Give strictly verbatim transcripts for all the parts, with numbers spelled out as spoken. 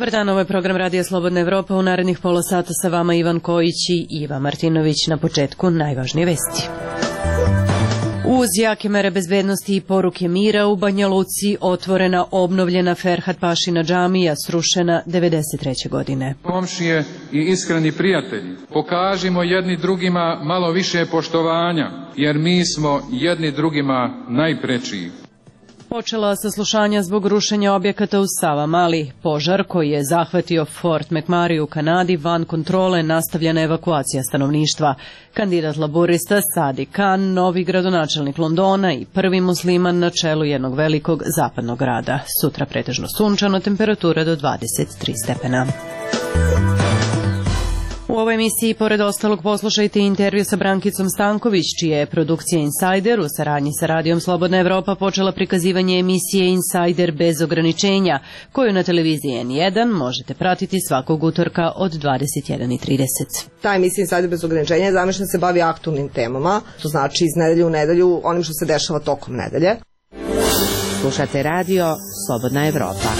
Dobar dan, ovo je program Radija Slobodna Evropa. U narednih pola sata sa vama Ivan Kojić i Iva Martinović. Na početku najvažnije vesti. Uz jake mere bezbednosti i poruke mira u Banja Luci otvorena obnovljena Ferhat Pašina džamija, srušena devedeset treće godine. Komšije i iskreni prijatelji, pokažimo jedni drugima malo više poštovanja, jer mi smo jedni drugima najprečiji. Počela saslušanja zbog rušenja objekata u Savamali. Požar koji je zahvatio Fort McMurray u Kanadi van kontrole, nastavljena evakuacija stanovništva. Kandidat laborista Sadiq Khan, novi gradonačelnik Londona i prvi musliman na čelu jednog velikog zapadnog grada. Sutra pretežno sunčano, temperatura do dvadeset tri stepena. U ovoj emisiji, pored ostalog, poslušajte intervju sa Brankicom Stanković, čija je produkcija Insider u saradnji sa Radijom Slobodna Evropa počela prikazivanje emisije Insider bez ograničenja, koju na televiziji N jedan možete pratiti svakog utorka od dvadeset jedan i trideset. Ta emisija Insider bez ograničenja je zamišljena se bavi aktualnim temama, to znači iz nedelje u nedelju onim što se dešava tokom nedelje. Slušate Radio Slobodna Evropa.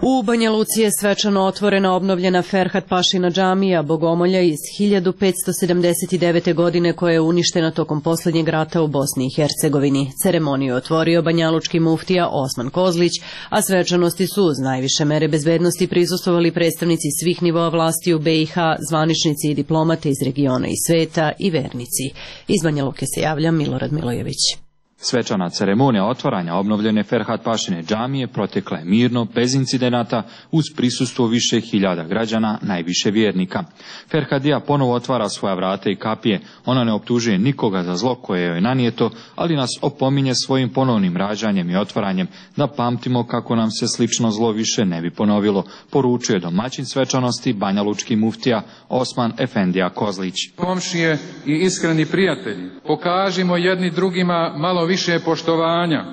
U Banja Luci je svečano otvorena obnovljena Ferhat Pašina džamija, bogomolja iz hiljadu petsto sedamdeset devete. godine, koja je uništena tokom posljednjeg rata u Bosni i Hercegovini. Ceremoniju je otvorio banjalučki muftija Osman Kozlić, a svečanosti su uz najviše mere bezbednosti prisustvovali predstavnici svih nivoa vlasti u B i H, zvaničnici i diplomate iz regiona i sveta i vernici. Iz Banja Luke se javlja Milorad Milojević. Svečana ceremonija otvaranja obnovljene Ferhat Pašine džamije protekla je mirno, bez incidenata, uz prisustvo više hiljada građana, najviše vjernika. Ferhadija ponovo otvara svoja vrata i kapije. Ona ne optužuje nikoga za zlo koje joj je nanijeto, ali nas opominje svojim ponovnim rađanjem i otvaranjem da pamtimo kako nam se slično zlo više ne bi ponovilo, poručuje domaćin svečanosti banjalučki muftija Osman Efendija Kozlić. Komšije i iskreni prijatelji, pokažimo jedni drugima malo više poštovanja.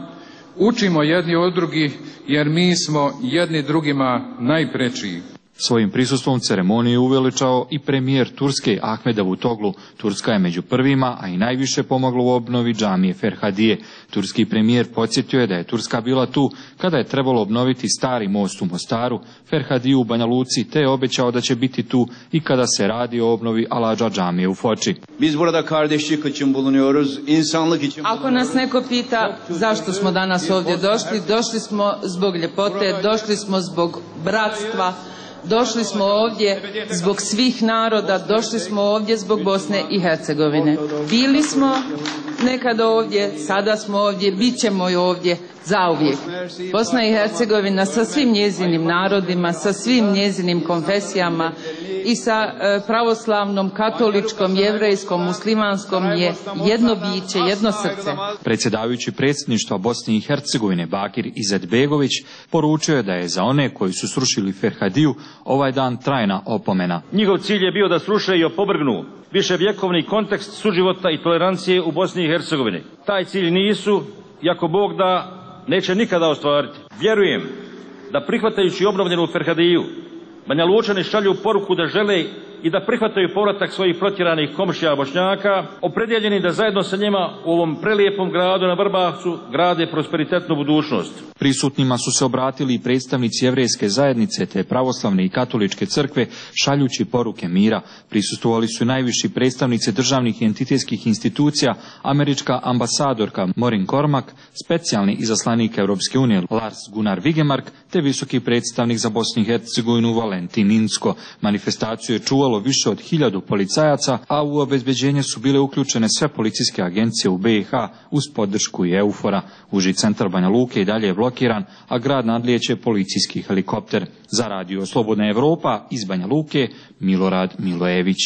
Učimo jedni od drugih, jer mi smo jedni drugima najprečiji. Svojim prisustvom ceremonije uveličao i premijer Turske Ahmed Davutoglu. Turska je među prvima, a i najviše pomogla u obnovi džamije Ferhadije. Turski premijer podsjetio je da je Turska bila tu kada je trebalo obnoviti stari most u Mostaru, Ferhadiju u Banja Luci, te je obećao da će biti tu i kada se radi o obnovi Aladža džamije u Foči. Ako nas neko pita zašto smo danas ovdje došli, došli smo zbog ljepote, došli smo zbog bratstva, došli smo ovdje zbog svih naroda, došli smo ovdje zbog Bosne i Hercegovine. Bili smo nekada ovdje, sada smo ovdje, bit ćemo i ovdje zauvijek. Bosna i Hercegovina sa svim njezinim narodima, sa svim njezinim konfesijama i sa e, pravoslavnom, katoličkom, jevrejskom, muslimanskom je jedno biće, jedno srce. Predsjedavajući predsjedništva Bosne i Hercegovine Bakir Izetbegović poručio je da je za one koji su srušili Ferhadiju ovaj dan trajna opomena. Njihov cilj je bio da sruše i opovrgnu viševjekovni kontekst suživota i tolerancije u Bosni i Hercegovini. Taj cilj nisu, i ako Bog da, neće nikada ostvariti. Vjerujem da prihvatajući obnovljenu Ferhadiju, Banja Lučani šalju poruku da žele i da prihvataju povratak svojih protjeranih komšija Bošnjaka, opredjeljeni da zajedno sa njima u ovom prelijepom gradu na Vrbavcu grade prosperitetnu budućnost. Prisutnima su se obratili i predstavnici jevrejske zajednice te pravoslavne i katoličke crkve šaljući poruke mira. Prisustvovali su najviši predstavnici državnih i entitetskih institucija, američka ambasadorka Maureen Cormack, specijalni izaslanik Europske unije Lars Gunnar Vigemark te visoki predstavnik za Bosnu i Hercegovinu Valentin Inzko. Manifestaciju je čuvalo više od hiljadu policajaca, a u obezbeđenje su bile uključene sve policijske agencije u B i H uz podršku i EUFOR-a. Uži centar Banja Luke i dalje je blokiran, a grad nadlijeće policijski helikopter. Za Radio Slobodna Evropa iz Banja Luke, Milorad Milojević.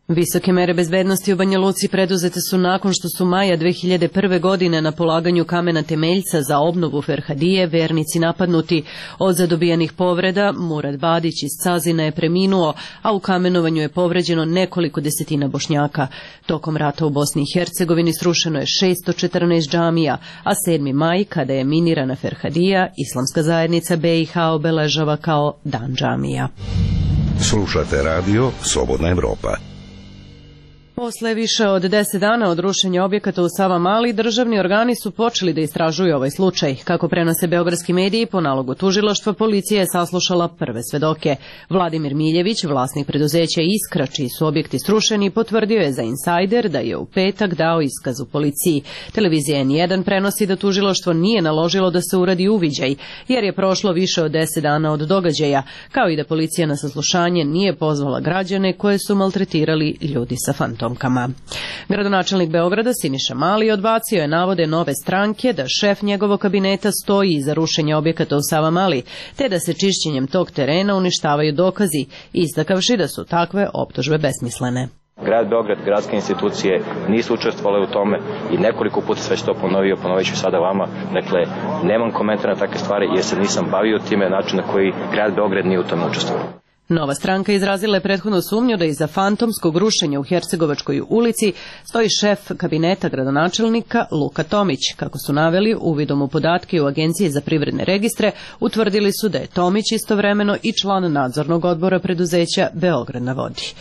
Visoke mere bezbednosti u Banja Luci preduzete su nakon što su maja dve hiljade prve. godine na polaganju kamena temeljca za obnovu Ferhadije vernici napadnuti. Od zadobijenih povreda Murad Badić iz Cazina je preminuo, a u kamenovanju je povređeno nekoliko desetina Bošnjaka. Tokom rata u Bosni i Hercegovini srušeno je šesto četrnaest džamija, a sedmi maj, kada je minirana Ferhadija, islamska zajednica B i H obeležava kao Dan džamija. Slušate Radio Slobodna Evropa. Posle više od deset dana od rušenja objekata u Savamali, državni organi su počeli da istražuju ovaj slučaj. Kako prenose beogradski mediji, po nalogu tužilaštva, policija je saslušala prve svedoke. Vladimir Miljević, vlasnik preduzeća Iskra, čiji su objekti srušeni, potvrdio je za Insajder da je u petak dao iskaz u policiji. Televizija en jedan prenosi da tužilaštvo nije naložilo da se uradi uviđaj, jer je prošlo više od deset dana od događaja, kao i da policija na saslušanje nije pozvala građane koje su maltretirali ljudi sa fantomkama. Gradonačelnik Beograda Siniša Mali odbacio je navode Nove stranke da šef njegovog kabineta stoji iza rušenja objekata u Savamali, te da se čišćenjem tog terena uništavaju dokazi, istakavši da su takve optužbe besmislene. Grad Beograd, gradske institucije nisu učestvovale u tome i nekoliko puta sve što ponovio, ponovit ću sada vama. Dakle, nemam komentara na takve stvari jer se nisam bavio time način na koji grad Beograd nije u tome učestvovao. Nova stranka izrazila je prethodnu sumnju da iza fantomskog rušenja u Hercegovačkoj ulici stoji šef kabineta gradonačelnika Luka Tomić. Kako su naveli, uvidom u podatke u Agenciji za privredne registre, utvrdili su da je Tomić istovremeno i član nadzornog odbora preduzeća Beograd na vodi.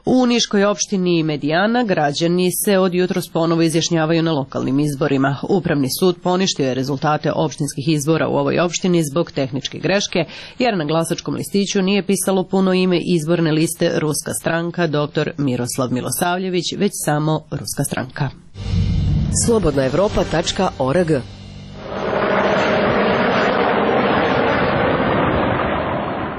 U Niškoj opštini Medijana građani se od jutros ponovo izjašnjavaju na lokalnim izborima. Upravni sud poništio je rezultate opštinskih izbora u ovoj opštini zbog tehničke greške, jer na glasačkom listiću nije pisalo puno ime izborne liste Ruska stranka dr Miroslav Milosavljević, već samo Ruska stranka. slobodna evropa tačka org.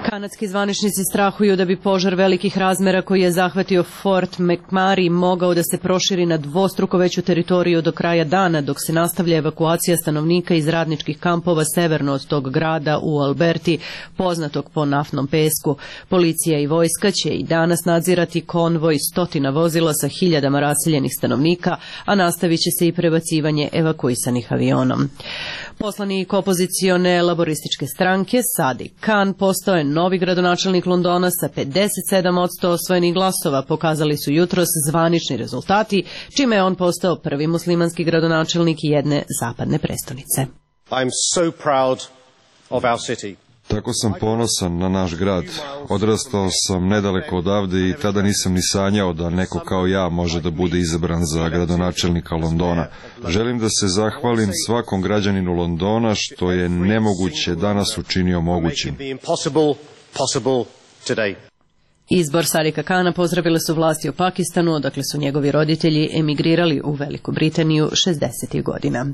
Kanadski zvaničnici strahuju da bi požar velikih razmera koji je zahvatio Fort McMurray mogao da se proširi na dvostruko veću teritoriju do kraja dana, dok se nastavlja evakuacija stanovnika iz radničkih kampova severno od tog grada u Alberti, poznatog po naftnom pesku. Policija i vojska će i danas nadzirati konvoj stotina vozila sa hiljadama raseljenih stanovnika, a nastavit će se i prebacivanje evakuisanih avionom. Poslanik opozicione laborističke stranke Sadiq Khan postao je novi gradonačelnik Londona sa pedeset sedam posto osvojenih glasova, pokazali su jutros zvanični rezultati, čime je on postao prvi muslimanski gradonačelnik jedne zapadne prestonice. I'm so proud of our city. Tako sam ponosan na naš grad. Odrastao sam nedaleko odavde i tada nisam ni sanjao da neko kao ja može da bude izabran za gradonačelnika Londona. Želim da se zahvalim svakom građaninu Londona što je nemoguće danas učinio mogućim. Izbor Sadiqa Khana pozdravile su vlasti u Pakistanu, odakle su njegovi roditelji emigrirali u Veliku Britaniju šezdesetih godina.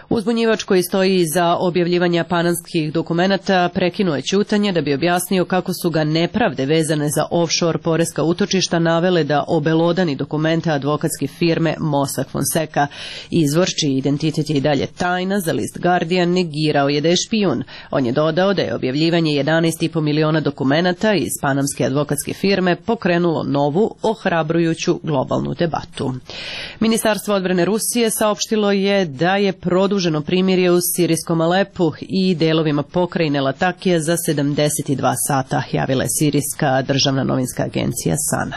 Uzbunjivač koji stoji iza objavljivanja panamskih dokumenata prekinuo je ćutanje da bi objasnio kako su ga nepravde vezane za offshore poreska utočišta navele da obelodani dokumente advokatske firme Mossack Fonseca. Izvor, čiji identitet je i dalje tajna, za list Guardian negirao je da je špijun. On je dodao da je objavljivanje jedanaest i po miliona dokumenata iz panamske advokatske firme pokrenulo novu, ohrabrujuću globalnu debatu. Ministarstvo odbrane Rusije saopštilo je da je produženo primirje u sirijskom Alepu i delovima pokrajine Latakije za sedamdeset dva sata, javila je sirijska državna novinska agencija Sana.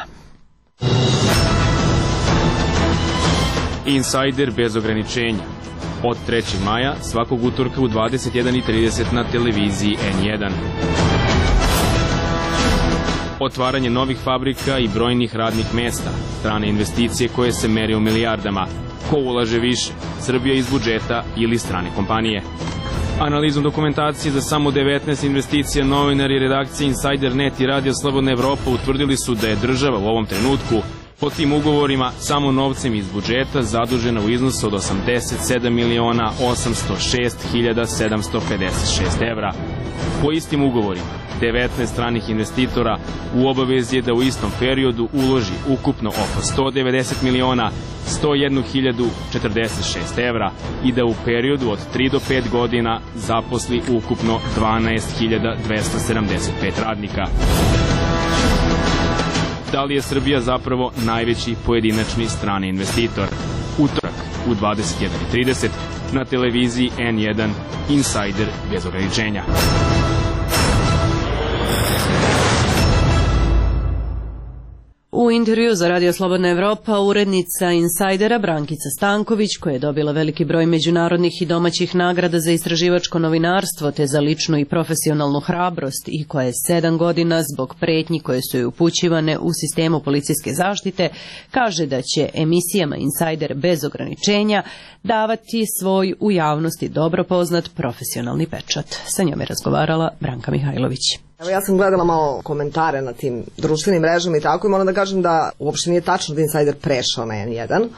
Insajder bez ograničenja. Od trećeg maja svakog utorka u dvadeset jedan i trideset na televiziji en jedan. Otvaranje novih fabrika i brojnih radnih mesta, strane investicije koje se mere u milijardama. Ko ulaže više, Srbija iz budžeta ili strane kompanije? Analizom dokumentacije za samo devetnaest investicija novinari i redakcije Insajder net i Radio Slobodna Evropa utvrdili su da je država u ovom trenutku po tim ugovorima samo novcem iz budžeta zadužena u iznosu od osamdeset sedam miliona osamsto šest hiljada sedamsto pedeset šest evra. Po istim ugovorima, devetnaest stranih investitora u obavezi je da u istom periodu uloži ukupno oko sto devedeset miliona sto jednu hiljadu četrdeset šest evra i da u periodu od tri do pet godina zaposli ukupno dvanaest hiljada dvesta sedamdeset pet radnika. Da li je Srbija zapravo najveći pojedinačni strani investitor? Utorak u dvadeset jedan i trideset na televiziji en jedan Insajder bez ograničenja. U intervju za Radio Slobodna Evropa urednica Insajdera Brankica Stanković, koja je dobila veliki broj međunarodnih i domaćih nagrada za istraživačko novinarstvo te za ličnu i profesionalnu hrabrost i koja je sedam godina zbog pretnji koje su joj upućivane u sistemu policijske zaštite, kaže da će emisijama Insajder bez ograničenja davati svoj u javnosti dobro poznat profesionalni pečat. Sa njom je razgovarala Branka Mihajlović. Evo, ja sam gledala malo komentare na tim društvenim mrežama i tako i moram da kažem da uopšte nije tačno da Insajder prešao na en jedan.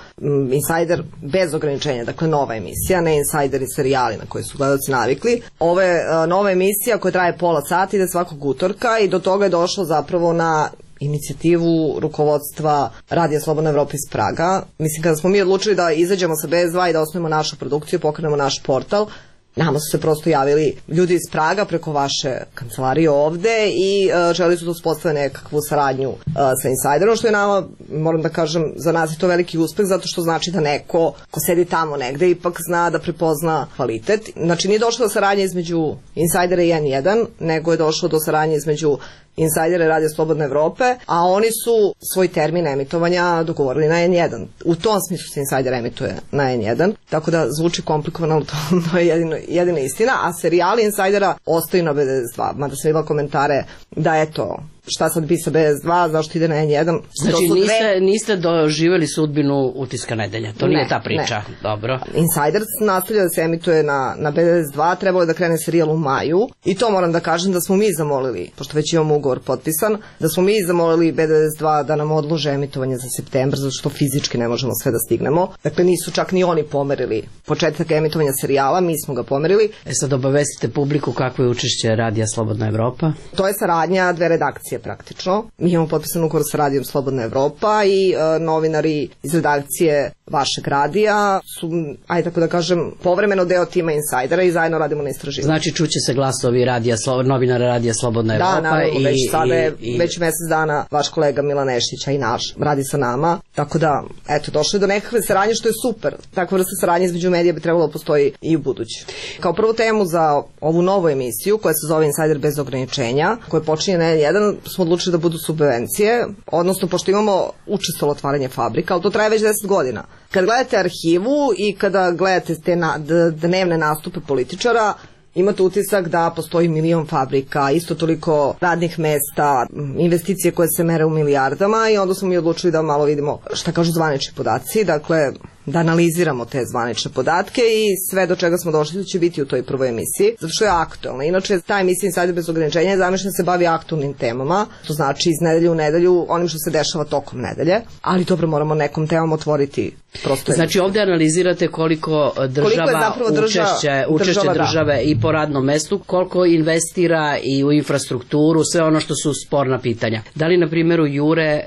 Insajder bez ograničenja, dakle nova emisija, ne Insajder i serijali na koje su gledalci navikli. Ovo je uh, nova emisija koja traje pola sata, ide svakog utorka i do toga je došlo zapravo na inicijativu rukovodstva Radija Slobodna Evropa iz Praga. Mislim, kada smo mi odlučili da izađemo sa be es dva i da osnovimo našu produkciju, pokrenemo naš portal, nama su se prosto javili ljudi iz Praga preko vaše kancelarije ovde i uh, želi su da uspostave nekakvu saradnju uh, sa Insajderom, što je nama, moram da kažem, za nas je to veliki uspeh, zato što znači da neko ko sedi tamo negde ipak zna da prepozna kvalitet. Znači nije došlo do saradnje između Insajdera i en jedan, nego je došlo do saradnje između Insajdera i Radija Slobodne Evrope, a oni su svoj termin emitovanja dogovorili na en jedan. U tom smislu se Insajder emituje na en jedan, tako da zvuči komplikovano, ali to je jedino, jedina istina, a serijali Insajdera ostaju na be es dva, mada sam imala komentare da eto, šta sad bi sa be es dva, zašto ide na en jedan. Znači niste, dve... niste doživjeli sudbinu Utiska nedelje, to ne, nije ta priča. Ne. Dobro. Insajder nastavlja da se emituje na, na be es dva, trebalo je da krene serijal u maju i to moram da kažem da smo mi zamolili, pošto već imamo ugovor potpisan, da smo mi zamolili be es dva da nam odlože emitovanje za septembar, zato što fizički ne možemo sve da stignemo. Dakle, nisu čak ni oni pomerili početak emitovanja serijala, mi smo ga pomerili. E sad obavestite publiku kako je učešće Radija Slobodna Evropa. To je saradnja dve redakcije praktično. Mi imamo potpisan ugovor sa Radijom Slobodna Evropa i e, novinari iz redakcije vašeg radija su, ajde tako da kažem, povremeno deo tima Insajdera i zajedno radimo na istraživanju. Znači čuće se glasovi radija, novinara Radija Slobodna Evropa. Da, naravno, i, već sada je, i, već mesec dana vaš kolega Milan Neštić, a i naš, radi sa nama. Tako da, eto, došlo je do nekakve saradnje što je super. Takva vrsta saradnje između medija bi trebalo da postoji i u budući. Kao prvu temu za ovu novu emisiju, koja se zove Insajder bez ograničenja, koja počinje na en jedan, smo odlučili da budu subvencije, odnosno pošto imamo učestvovalo otvaranje fabrika, ali to traje već deset godina. Kad gledate arhivu i kada gledate te na, dnevne nastupe političara, imate utisak da postoji milion fabrika, isto toliko radnih mesta, investicije koje se mere u milijardama i onda smo mi odlučili da malo vidimo šta kažu zvanični podaci, dakle da analiziramo te zvanične podatke i sve do čega smo došli će biti u toj prvoj emisiji, zato što je aktualna. Inače, ta emisija Insajder bez ograničenja je zamišljena se bavi aktualnim temama, to znači iz nedelje u nedelju onim što se dešava tokom nedelje, ali dobro, moramo nekom temom otvoriti prosto. Znači ovdje analizirate koliko država koliko država, učešće, učešće država, države da. I po radnom mestu, koliko investira i u infrastrukturu, sve ono što su sporna pitanja. Da li na primjeru Jure e,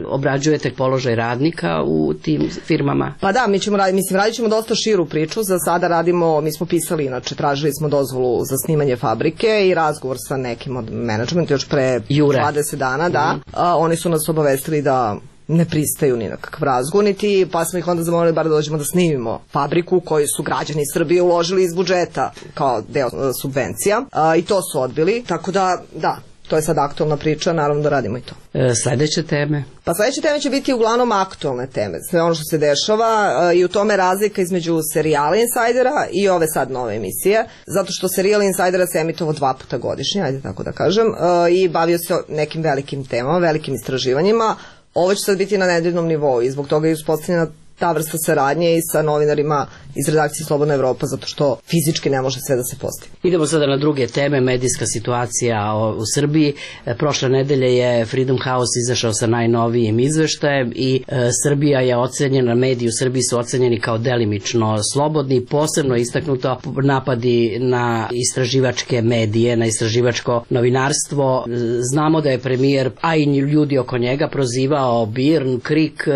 obrađujete položaj radnika u tim firmama? Pa da, mi ćemo raditi, mislim, radit ćemo dosta širu priču, za sada radimo, mi smo pisali, inače, tražili smo dozvolu za snimanje fabrike i razgovor sa nekim od menadžmenta još pre Jure. dvadeset dana, da, mm-hmm. a, oni su nas obavestili da ne pristaju ni na kakav razgovor, niti, pa smo ih onda zamolili bar da dođemo da snimimo fabriku koju su građani Srbije uložili iz budžeta kao deo subvencija, a, i to su odbili, tako da, da, to je sad aktualna priča, naravno da radimo i to. E, sledeće teme? Pa sledeće teme će biti uglavnom aktualne teme, sve ono što se dešava e, i u tome razlika između serijala Insajdera i ove sad nove emisije, zato što serijal Insajdera se emitovao dva puta godišnje, ajde tako da kažem, e, i bavio se nekim velikim temama, velikim istraživanjima. Ovo će sad biti na nedeljnom nivou i zbog toga je uspostavljena ta vrsta saradnje i sa novinarima iz redakcije Slobodna Evropa, zato što fizički ne može sve da se postigne. Idemo sada na druge teme, medijska situacija u Srbiji. Prošle nedelje je Freedom House izašao sa najnovijim izveštajem i e, Srbija je ocenjena, mediji u Srbiji su ocenjeni kao delimično slobodni, posebno istaknuto napadi na istraživačke medije, na istraživačko novinarstvo. Znamo da je premijer, a i ljudi oko njega, prozivao Birn, Krik,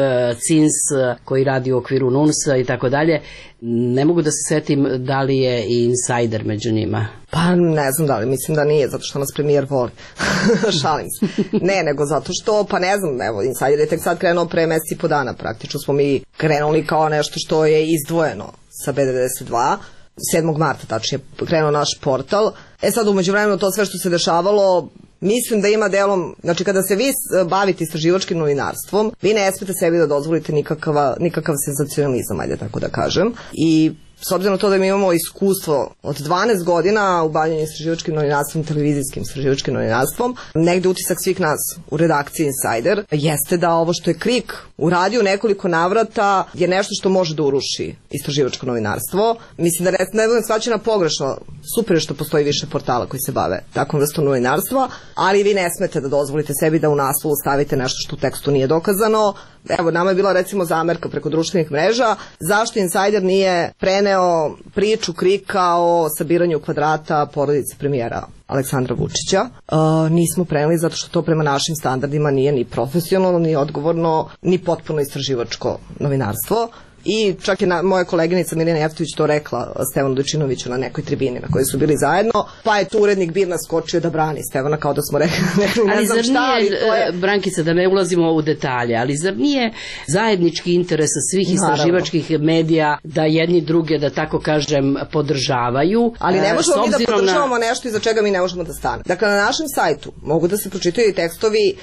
Cins, koji radi u okviru Nunsa i tako dalje. Ne mogu da se setim da li je i Insajder među njima. Pa ne znam da li, mislim da nije, zato što nas premijer voli. Šalim se. Ne, nego zato što, pa ne znam, evo, Insajder je tek sad krenuo pre meseci i po dana, praktično smo mi krenuli kao nešto što je izdvojeno sa be devedeset dva. sedmog marta tačnije krenuo naš portal. E sad umeđu vremenu to sve što se dešavalo mislim da ima delom, znači kada se vi bavite istraživačkim novinarstvom, vi ne smete sebi da dozvolite nikakav, nikakav senzacionalizam, ajde tako da kažem. I s obzirom na to da mi imamo iskustvo od dvanaest godina u bavljanju istraživačkim novinarstvom, televizijskim istraživačkim novinarstvom, negde utisak svih nas u redakciji Insider jeste da ovo što je Krik uradio nekoliko navrata je nešto što može da uruši istraživačko novinarstvo. Mislim da ne, ne budem shvaćena pogrešno, super je što postoji više portala koji se bave takvom vrstom novinarstva, ali vi ne smete da dozvolite sebi da u naslovu stavite nešto što u tekstu nije dokazano. Evo, nama je bila recimo zamerka preko društvenih mreža zašto Insider nije preneo priču Krika o sabiranju kvadrata porodice premijera Aleksandra Vučića. Uh, nismo preneli zato što to prema našim standardima nije ni profesionalno, ni odgovorno, ni potpuno istraživačko novinarstvo. I čak je na, moja koleginica Milina Jeftović to rekla Stevanu Dojčinoviću na nekoj tribini na kojoj su bili zajedno, pa je tu urednik Birna skočio da brani Stevana kao da smo rekli, rekli ne ali znam šta, ali to je... Brankica, da ne ulazimo u detalje, ali zar nije zajednički interes svih istraživačkih medija da jedni druge, da tako kažem, podržavaju? Ali ne možemo mi da podržavamo na... nešto iza čega mi ne možemo da stanemo. Dakle, na našem sajtu mogu da se pročitaju i tekstovi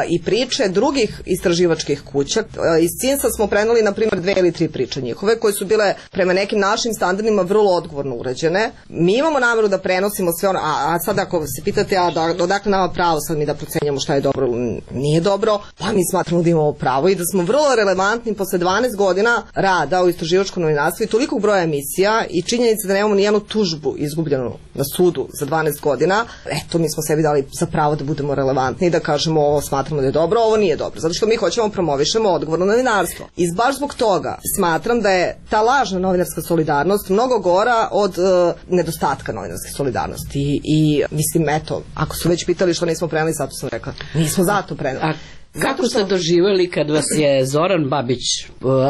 i priče drugih istraživačkih kuća. Iz Cinsa smo preneli, na primjer, dve ili tri priče njihove, koje su bile prema nekim našim standardima vrlo odgovorno urađene. Mi imamo nameru da prenosimo sve ono, a, a sad ako se pitate, a da, odakle nama pravo sad mi da procenjamo šta je dobro, nije dobro, pa mi smatramo da imamo pravo i da smo vrlo relevantni posle dvanaest godina rada u istraživačkom novinarstvu i tolikog broja emisija i činjenica da nemamo nijednu tužbu izgubljenu na sudu za dvanaest godina. Eto, mi smo sebi dali za pravo da budemo relevantni i da kažemo ovo smatramo da je dobro, ovo nije dobro, zato što mi hoćemo promovišemo odgovorno novinarstvo. I baš zbog toga smatram da je ta lažna novinarska solidarnost mnogo gora od uh, nedostatka novinarske solidarnosti. I, i mislim, eto, ako su već pitali što nismo preneli, zato sam rekla, nismo zato preneli. Kako ste doživjeli kad vas je Zoran Babić,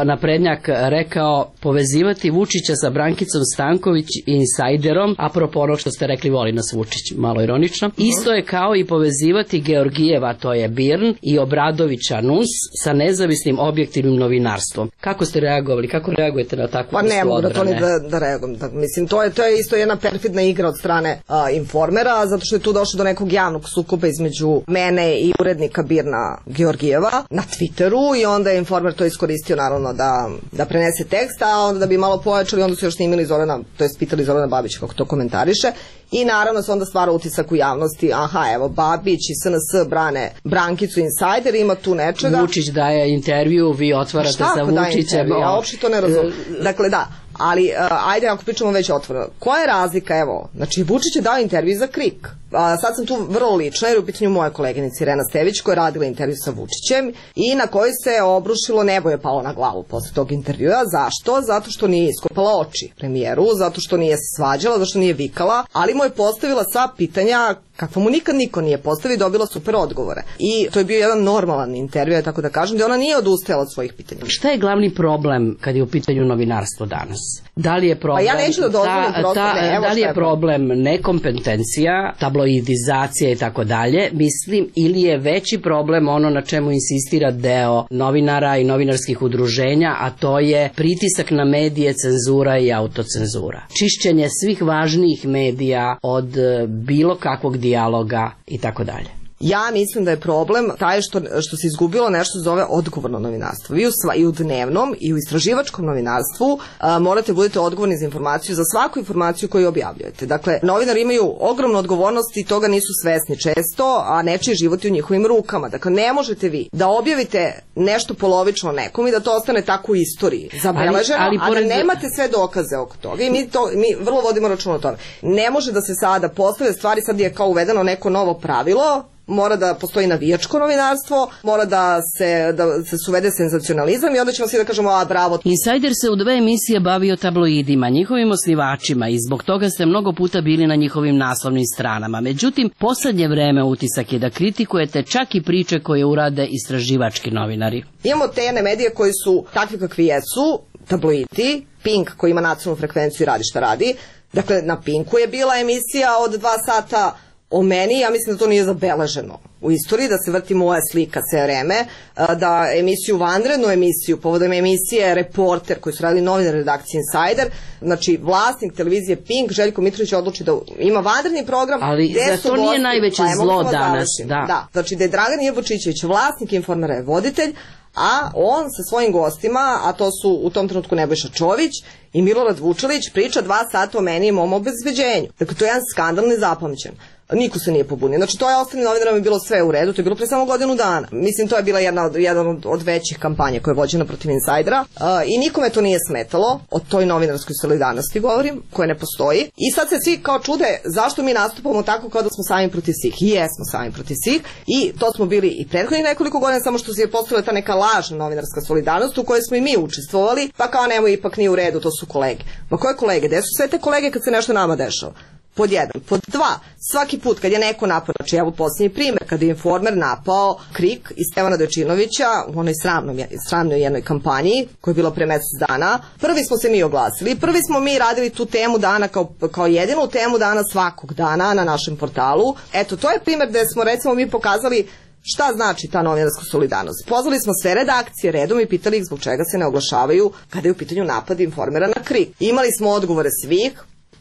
naprednjak, rekao povezivati Vučića sa Brankicom Stanković i Insajderom, apropo onog što ste rekli, voli nas Vučić, malo ironično, isto je kao i povezivati Georgijeva, to je Birn, i Obradovića Nus sa nezavisnim objektivnim novinarstvom. Kako ste reagovali? Kako reagujete na takvu pa ne mogu da to ni odbrane? da, da reagujem. Da, mislim, to je, to je isto jedna perfidna igra od strane a, Informera, zato što je tu došlo do nekog javnog sukoba između mene i urednika Birna Georgijeva na Twitteru i onda je Informer to iskoristio naravno da, da prenese tekst, a onda da bi malo pojačali, onda su još snimili Zorana, to je pitali Zorana Babića kako to komentariše i naravno se onda stvara utisak u javnosti, aha, evo, Babić i S N S brane Brankicu Insajder, ima tu nečega. Vučić daje intervju, vi otvarate Šta sa Vučićem. Ja uopšte to ne razumem. Dakle, da, ali uh, ajde ako pričamo već otvoreno. Koja je razlika, evo, znači Vučić je dao intervju za Krik. A, sad sam tu vrlo lična jer u pitanju moja koleginica Irena Stević koja je radila intervju sa Vučićem i na kojoj se obrušilo, nebo je palo na glavu posle tog intervjua. Zašto? Zato što nije iskopala oči premijeru, zato što nije se svađala, zato što nije vikala, ali mu je postavila sva pitanja kakva mu nikad niko nije postavio i dobila super odgovore. I to je bio jedan normalan intervju, tako da kažem, da ona nije odustajala od svojih pitanja. Šta je glavni problem kad je u pitanju novinarstvo danas? Da li je problem, pa ja neću da dozvolim ta, prosto, ta, ne, evo da li je je problem nekompetencija, tabloidizacija i tako dalje, mislim, ili je veći problem ono na čemu insistira deo novinara i novinarskih udruženja, a to je pritisak na medije, cenzura i autocenzura. Čišćenje svih važnijih medija od bilo kakvog dijaloga i tako dalje. Ja mislim da je problem taj što, što se izgubilo nešto zove odgovorno novinarstvo. Vi u, sva, i u dnevnom i u istraživačkom novinarstvu a, morate budete odgovorni za informaciju, za svaku informaciju koju objavljujete. Dakle, novinari imaju ogromnu odgovornost i toga nisu svesni često, a nečiji život je u njihovim rukama. Dakle, ne možete vi da objavite nešto polovično nekom i da to ostane tako u istoriji zabeleženo, ali, ali pored... a da nemate sve dokaze oko toga. I mi, to, mi vrlo vodimo računa o tome. Ne može da se sada postave stvari, sad je kao uvedeno neko novo pravilo, mora da postoji navijačko novinarstvo, mora da se, da se suvede senzacionalizam i onda ćemo svi da kažemo, a bravo. Insajder se u dve emisije bavio tabloidima, njihovim osnivačima i zbog toga ste mnogo puta bili na njihovim naslovnim stranama. Međutim, poslednje vreme utisak je da kritikujete čak i priče koje urade istraživački novinari. Imamo te jedne medije koji su takvi kakvi jesu, tabloidi, Pink koji ima nacionalnu frekvenciju i radi šta radi. Dakle, na Pinku je bila emisija od dva sata o meni, ja mislim da to nije zabeleženo u istoriji, da se vrti moja slika sve vreme, da emisiju, vanrednu emisiju, povodom emisije Reporter, koji su radili novinari redakcije Insider, znači vlasnik televizije Pink, Željko Mitrović, odluči da ima vanredni program. Ali za to nije najveće zlo danas. Da. da, znači da je Dragan Jevočićević vlasnik Informera je voditelj, a on sa svojim gostima, a to su u tom trenutku Nebojša Čović i Milorad Vučelić, priča dva sata o meni i mom obezbeđenju. Dakle, to je jedan skandal nezapamćen. Niko se nije pobunio. Znači, to je ostalim novinarima bilo sve u redu, to je bilo pre samo godinu dana. Mislim, to je bila jedna od, jedan od, od većih kampanja koja je vođena protiv Insajdera uh, i nikome to nije smetalo, o toj novinarskoj solidarnosti govorim, koja ne postoji. I sad se svi kao čude zašto mi nastupamo tako kao da smo sami protiv svih. I jesmo sami protiv svih i to smo bili i prethodnih nekoliko godina, samo što se je postavila ta neka lažna novinarska solidarnost u kojoj smo i mi učestvovali, pa kao nemoj, ipak nije u redu, to su kolege. Ma koje kolege? Gde su sve te kolege kad se nešto nama dešava? Pod jedan. Pod dva, svaki put kad je neko napao, znači evo posljednji primjer, kada je Informer napao Krik i Stevana Dojčinovića u onoj sramnoj, sramnoj jednoj kampanji koja je bila pre mesec dana, prvi smo se mi oglasili, prvi smo mi radili tu temu dana kao, kao jedinu temu dana svakog dana na našem portalu. Eto, to je primjer gde smo recimo mi pokazali šta znači ta novinarska solidarnost. Pozvali smo sve redakcije redom i pitali ih zbog čega se ne oglašavaju kada je u pitanju napad Informera na Krik. Imali smo odgovore svih,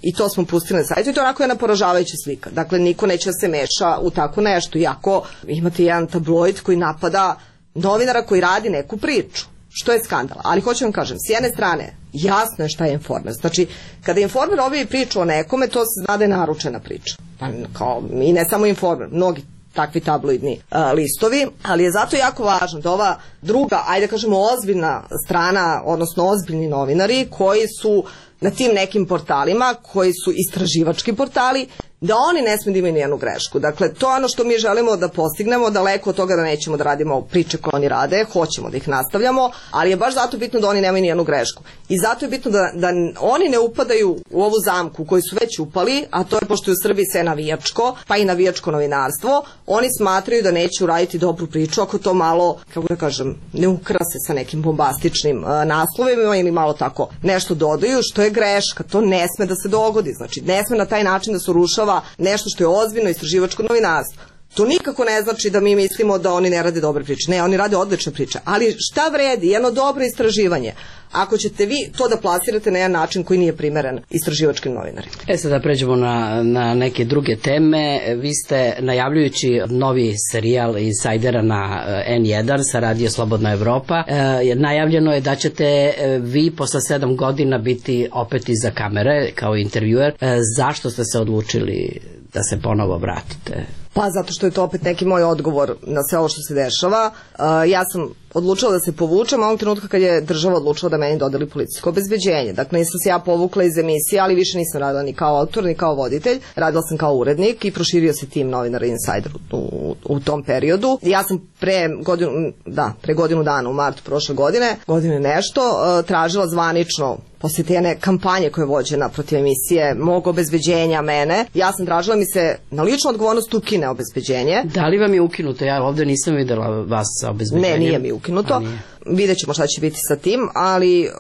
i to smo pustili na sajtu i to onako je jedna poražavajuća slika. Dakle, niko neće da se meša u tako nešto. Iako imate jedan tabloid koji napada novinara koji radi neku priču. Što je skandal. Ali hoću vam kažem, s jedne strane, jasno je šta je Informer. Znači, kada Informer objavi priču o nekome, to se zna da je naručena priča. Pa, kao, i ne samo Informer, mnogi takvi tabloidni a, listovi, ali je zato jako važno da ova druga, ajde kažemo ozbiljna strana, odnosno ozbiljni novinari koji su na tim nekim portalima, koji su istraživački portali, da oni ne smiju da imaju nijednu grešku. Dakle, to je ono što mi želimo da postignemo, daleko od toga da nećemo da radimo priče koje oni rade, hoćemo da ih nastavljamo, ali je baš zato bitno da oni nemaju nijednu grešku. I zato je bitno da, da oni ne upadaju u ovu zamku koju su već upali, a to je pošto je u Srbiji sve navijačko, pa i navijačko novinarstvo, oni smatraju da neće uraditi dobru priču ako to malo, kako da kažem, ne ukrase sa nekim bombastičnim uh, naslovima ili malo tako nešto dodaju, što je greška. To ne sme da se dogodi. Znači, ne sme na taj način da se urušava nešto što je ozbiljno istraživačko novinarstvo. To nikako ne znači da mi mislimo da oni ne rade dobre priče. Ne, oni rade odlične priče. Ali šta vredi jedno dobro istraživanje ako ćete vi to da plasirate na jedan način koji nije primeren istraživačkim novinarima? E sad da pređemo na, na neke druge teme. Vi ste najavljujući novi serijal Insajdera na en jedan sa Radio Slobodna Evropa. E, najavljeno je da ćete vi posle sedam godina biti opet iza kamere kao intervjuer. E, zašto ste se odlučili da se ponovo vratite? Pa zato što je to opet neki moj odgovor na sve ovo što se dešava. Uh, ja sam odlučila da se povučem onog trenutka kad je država odlučila da meni dodeli policijsko obezbeđenje. Dakle, nisam se ja povukla iz emisije, ali više nisam radila ni kao autor, ni kao voditelj. Radila sam kao urednik i proširio se tim novinara Insider u, u, u tom periodu. Ja sam pre godinu, da, pre godinu dana u martu prošle godine, godine nešto, uh, tražila zvanično poslije te jedne kampanje koja je vođena protiv emisije mog obezbeđenja mene. Ja sam tražila mi se na ličnu odgovornost ukine obezbeđenje. Da li vam je ukinuto? Ja ovde nisam videla vas sa obezbeđenjem. Ne, nije mi ukinuto. Vidjet ćemo šta će biti sa tim, ali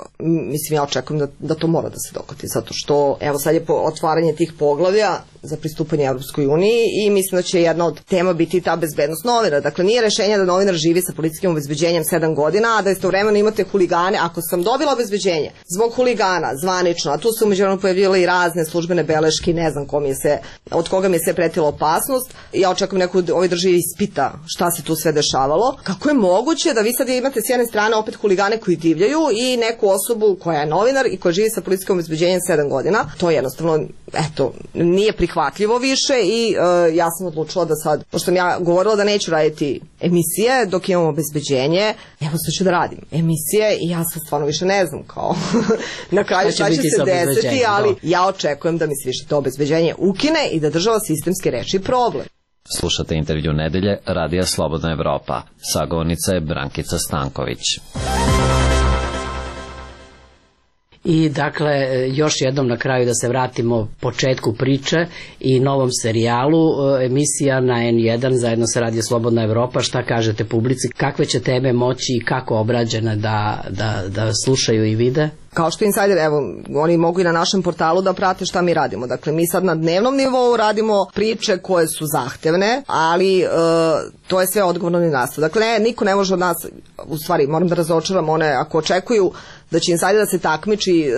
mislim ja očekujem da, da to mora da se dogodi, zato što evo sad je po otvaranje tih poglavlja za pristupanje Evropskoj uniji i mislim da će jedna od tema biti ta bezbednost novinara. Dakle, nije rešenje da novinar živi sa policijskim obezbeđenjem sedam godina, a da istovremeno imate huligane. Ako sam dobila obezbeđenje zbog huligana zvanično, a tu su umeđuvremenu pojavile i razne službene beleške, ne znam ko mi je se, od koga mi je sve pretila opasnost, ja očekujem neko u ovoj državi ispita šta se tu sve dešavalo. Kako je moguće da vi sad imate s jedne strane opet huligane koji divljaju i neku osobu koja je novinar i koja živi sa policijskim obezbeđenjem sedam godina? To jednostavno, eto, nije prihvatljivo više i uh, ja sam odlučila da sad, pošto sam ja govorila da neću raditi emisije dok imam obezbeđenje, evo sad ću da radim emisije i ja sad stvarno više ne znam kao na kraju šta će se desiti, ali ja očekujem da mi se više to obezbeđenje ukine i da država sistemski reši problem. Slušate intervju nedelje Radija Slobodna Evropa. Sagovornica je Brankica Stanković. I dakle, još jednom na kraju da se vratimo početku priče i novom serijalu, emisija na en jedan zajedno sa Radio Slobodna Evropa. Šta kažete publici? Kakve će teme moći i kako obrađene da, da, da slušaju i vide? kao što Insider, evo, oni mogu i na našem portalu da prate šta mi radimo. Dakle, mi sad na dnevnom nivou radimo priče koje su zahtevne, ali e, to je sve odgovorno i nas. Dakle, ne, niko ne može od nas, u stvari, moram da razočaram one, ako očekuju da će Insider da se takmiči e,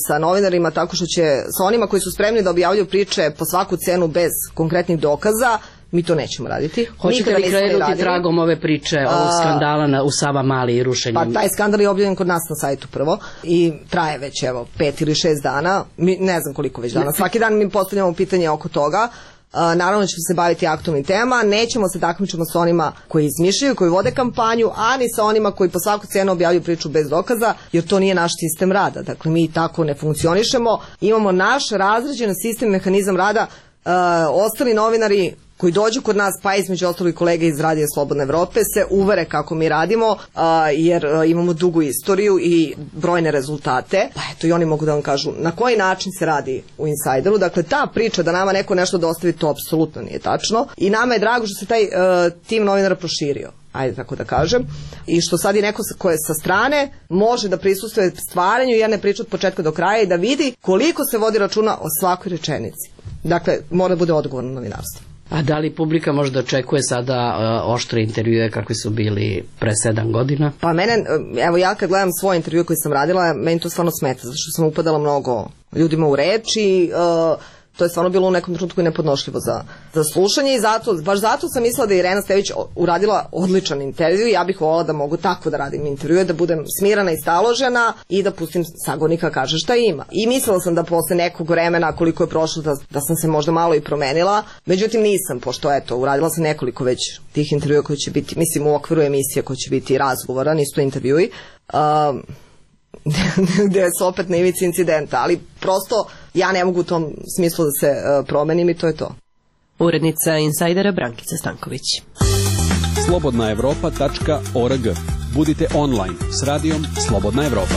sa novinarima tako što će, sa onima koji su spremni da objavljuju priče po svaku cenu bez konkretnih dokaza, mi to nećemo raditi. Hoćete li krenuti tragom ove priče ovog skandala na, u Savamali i rušenju? Pa taj skandal je objavljen kod nas na sajtu prvo i traje već evo pet ili šest dana, mi, ne znam koliko već dana. Svaki dan mi postavljamo pitanje oko toga. Uh, naravno ćemo se baviti aktualnim temama, nećemo se takmičiti sa onima koji izmišljaju, koji vode kampanju, a ni sa onima koji po svaku cenu objavljuju priču bez dokaza, jer to nije naš sistem rada. Dakle, mi tako ne funkcionišemo. Imamo naš razređen sistem, mehanizam rada. Uh, ostali novinari koji dođu kod nas, pa između ostalih kolege iz Radija Slobodne Evrope, se uvere kako mi radimo, a, jer a, imamo dugu istoriju i brojne rezultate. Pa eto, i oni mogu da vam kažu na koji način se radi u Insideru. Dakle, ta priča da nama neko nešto dostavi, to apsolutno nije tačno. I nama je drago što se taj a, tim novinara proširio, ajde tako da kažem, i što sad je neko ko je sa strane može da prisustuje stvaranju jedne priče od početka do kraja i da vidi koliko se vodi računa o svakoj rečenici. Dakle, mora da bude odgovorno novinarstvo. A da li publika možda očekuje sada uh, oštre intervjue kakvi su bili pre sedam godina? Pa mene, evo ja kad gledam svoje intervjue koje sam radila, meni to stvarno smeta, zato što sam upadala mnogo ljudima u reč i uh, to je stvarno bilo u nekom trenutku i nepodnošljivo za, za slušanje i zato, baš zato sam mislila da je Irena Stević uradila odličan intervju i ja bih volila da mogu tako da radim intervjue, da budem smirana i staložena i da pustim sagovornika kaže šta ima. I mislila sam da posle nekog vremena koliko je prošlo da, da sam se možda malo i promenila, međutim nisam, pošto eto, uradila sam nekoliko već tih intervjua koji će biti, mislim u okviru emisije koji će biti razgovora, nisu to intervjui. Um, gde su opet na ivici incidenta, ali prosto ja ne mogu u tom smislu da se uh, promenim i to je to. Urednica Insajdera Brankica Stanković. slobodna evropa tačka org. Budite online s radijom Slobodna Evropa.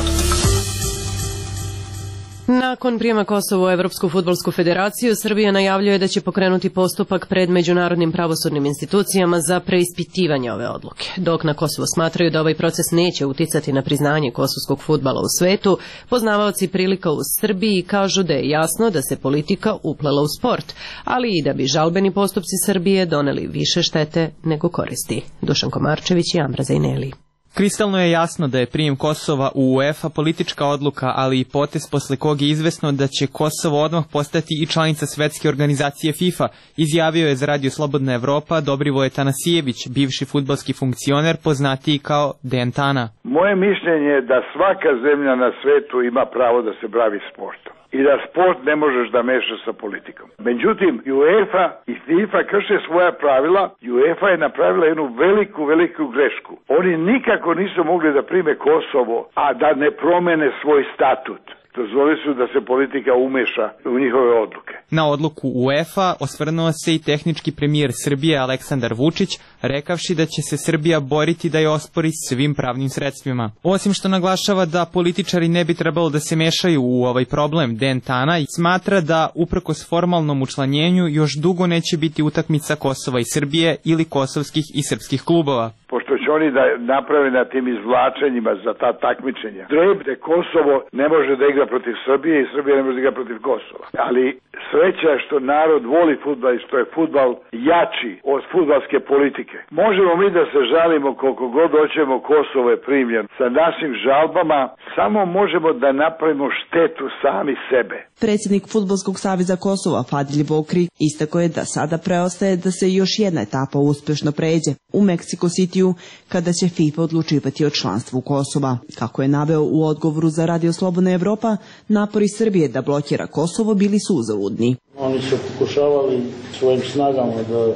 Nakon prijema Kosova u Evropsku fudbalsku federaciju, Srbija najavljuje da će pokrenuti postupak pred međunarodnim pravosudnim institucijama za preispitivanje ove odluke. Dok na Kosovo smatraju da ovaj proces neće uticati na priznanje kosovskog fudbala u svetu, poznavaoci prilika u Srbiji kažu da je jasno da se politika uplela u sport, ali i da bi žalbeni postupci Srbije doneli više štete nego koristi. Dušan Komarčević i Amra Zajneli. Kristalno je jasno da je prijem Kosova u UEFA politička odluka, ali i potez posle kog je izvesno da će Kosovo odmah postati i članica svetske organizacije FIFA, izjavio je za Radio Slobodna Evropa Dobrivoje Tanasijević, bivši fudbalski funkcioner poznatiji kao Dejan Tana. Moje mišljenje je da svaka zemlja na svetu ima pravo da se bavi sportom i da sport ne možeš da mešaš sa politikom. Međutim, UEFA i FIFA krše svoja pravila i UEFA je napravila jednu veliku, veliku grešku. Oni nikako nisu mogli da prime Kosovo, a da ne promene svoj statut. Dozvoli su da se politika umeša u njihove odluke. Na odluku UEFA osvrnuo se i tehnički premijer Srbije Aleksandar Vučić, rekavši da će se Srbija boriti da je ospori svim pravnim sredstvima. Osim što naglašava da političari ne bi trebalo da se mešaju u ovaj problem, Dejan Tana smatra da uprkos formalnom učlanjenju još dugo neće biti utakmica Kosova i Srbije ili kosovskih i srpskih klubova. Pošto će oni da naprave na tim izvlačenjima za ta takmičenja. Drebde Kosovo ne može da igra protiv Srbije i Srbija ne može da igra protiv Kosova. Ali sreća je što narod voli fudbal i što je fudbal jači od fudbalske politike. Možemo mi da se žalimo koliko god hoćemo, Kosovo je primljen. Sa našim žalbama samo možemo da napravimo štetu sami sebe. Predsjednik Fudbalskog saveza Kosova Fadil Vokri istakao je da sada preostaje da se još jedna etapa uspešno pređe u Meksiko Cityu kada će FIFA odlučivati o članstvu Kosova. Kako je naveo u odgovoru za Radio Slobodna Evropa, napori Srbije da blokira Kosovo bili su uzaludni. Oni su pokušavali svojim snagama da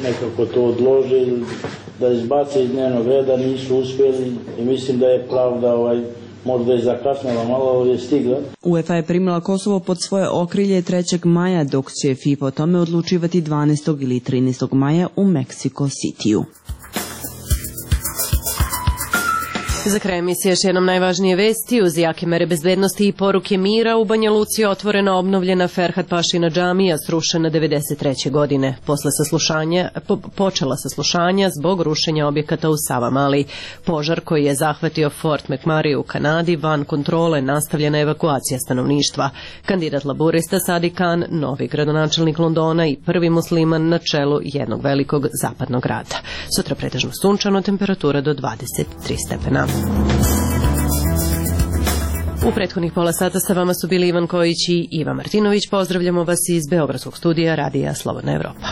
nekako to odlože ili da izbace iz dnevnog reda, nisu uspjeli i mislim da je pravda ovaj možda je zakasnila malo, ali je stigla. UEFA je primila Kosovo pod svoje okrilje trećeg maja, dok će FIFA o tome odlučivati dvanaestog ili trinaestog maja u Meksiko Cityu. Za kraj emisije još jednom najvažnije vesti. Uz jake mere bezbednosti i poruke mira u Banja Luci otvorena obnovljena Ferhat Pašina džamija srušena devedeset treće godine. Posle saslušanja, po, počela saslušanja zbog rušenja objekata u Savamali. Požar koji je zahvatio Fort McMurray u Kanadi van kontrole, nastavljena evakuacija stanovništva. Kandidat laburista Sadi Khan, novi gradonačelnik Londona i prvi musliman na čelu jednog velikog zapadnog grada. Sutra pretežno sunčano, temperatura do dvadeset tri stepena. U prethodnih pola sata sa vama su bili Ivan Kojić i Iva Martinović. Pozdravljamo vas iz Beogradskog studija Radija Slobodna Evropa.